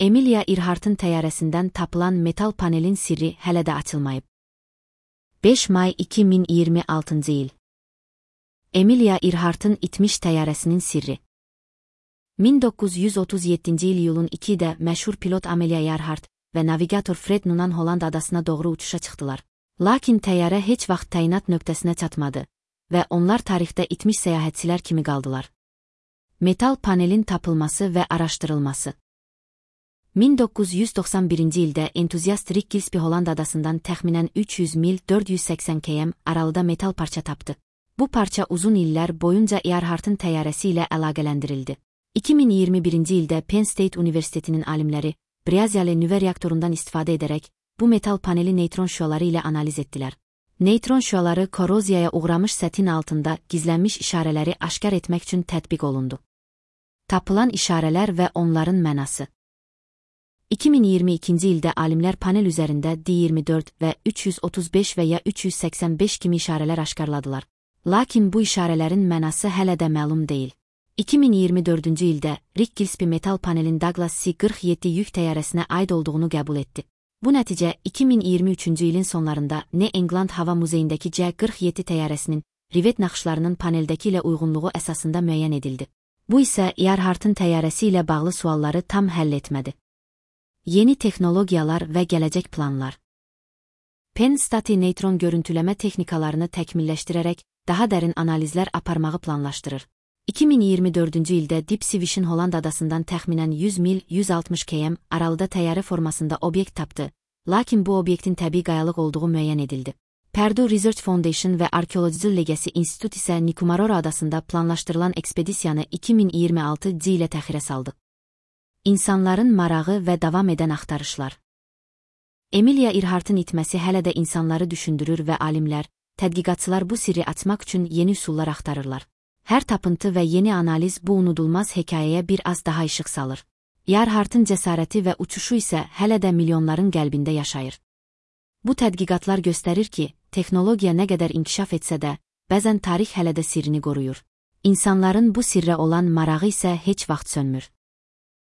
Emilia Earhart'ın təyyarəsindən tapılan metal panelin sirri hələ də açılmayıb. 5 may 2026 il. Emilia Earhart'ın itmiş təyyarəsinin sirri. 1937 il iyulun 2-də məşhur pilot Amelia Earhart və navigator Fred Noonan Holland adasına doğru uçuşa çıxdılar. Lakin təyyarə heç vaxt təyinat nöqtəsinə çatmadı və onlar tarixdə itmiş səyahətçilər kimi qaldılar. Metal panelin tapılması və araşdırılması. 1991-ci ildə entuziast Rick Gillespie Holland adasından təxminən 300 mil 480 km aralıda metal parça tapdı. Bu parça uzun illər boyunca Earhart'ın təyyarəsi ilə əlaqələndirildi. 2021-ci ildə Penn State Universitetinin alimləri Braziliya nüvə reaktorundan istifadə edərək bu metal paneli neytron şüaları ilə analiz etdilər. Neytron şüaları koroziyaya uğramış sətin altında gizlənmiş işarələri aşkar etmək üçün tətbiq olundu. Tapılan işarələr və onların mənası. 2022-ci ildə alimlər panel üzərində D24 və 335 və ya 385 kimi işarələr aşkarladılar. Lakin bu işarələrin mənası hələ də məlum deyil. 2024-cü ildə Rick Gillespie metal panelin Douglas C-47 yük təyyarəsinə aid olduğunu qəbul etdi. Bu nəticə 2023-cü ilin sonlarında New England Hava Muzeyindəki C-47 təyyarəsinin rivet naxışlarının paneldəki ilə uyğunluğu əsasında müəyyən edildi. Bu isə Earhart'ın təyyarəsi ilə bağlı sualları tam həll etmədi. Yeni texnologiyalar və gələcək planlar. Penn State neytron görüntüləmə texnikalarını təkmilləşdirərək daha dərin analizlər aparmağı planlaşdırır. 2024-cü ildə Deep Sea Vision Holland adasından təxminən 100 mil 160 km aralıda təyyarə formasında obyekt tapdı, lakin bu obyektin təbii qayalıq olduğu müəyyən edildi. Purdue Research Foundation və Arkeological Legacy Institute isə Nikumaroro adasında planlaşdırılan ekspedisiyanı 2026-cı ilə təxirə saldı. İnsanların marağı və davam edən axtarışlar. Emilia Earhart'ın itməsi hələ də insanları düşündürür və alimlər, tədqiqatçılar bu sirri açmaq üçün yeni üsullar axtarırlar. Hər tapıntı və yeni analiz bu unudulmaz hekayəyə bir az daha işıq salır. Earhart'ın cəsarəti və uçuşu isə hələ də milyonların qəlbində yaşayır. Bu tədqiqatlar göstərir ki, texnologiya nə qədər inkişaf etsə də, bəzən tarix hələ də sirrini qoruyur. İnsanların bu sirrə olan marağı isə heç vaxt sönmür.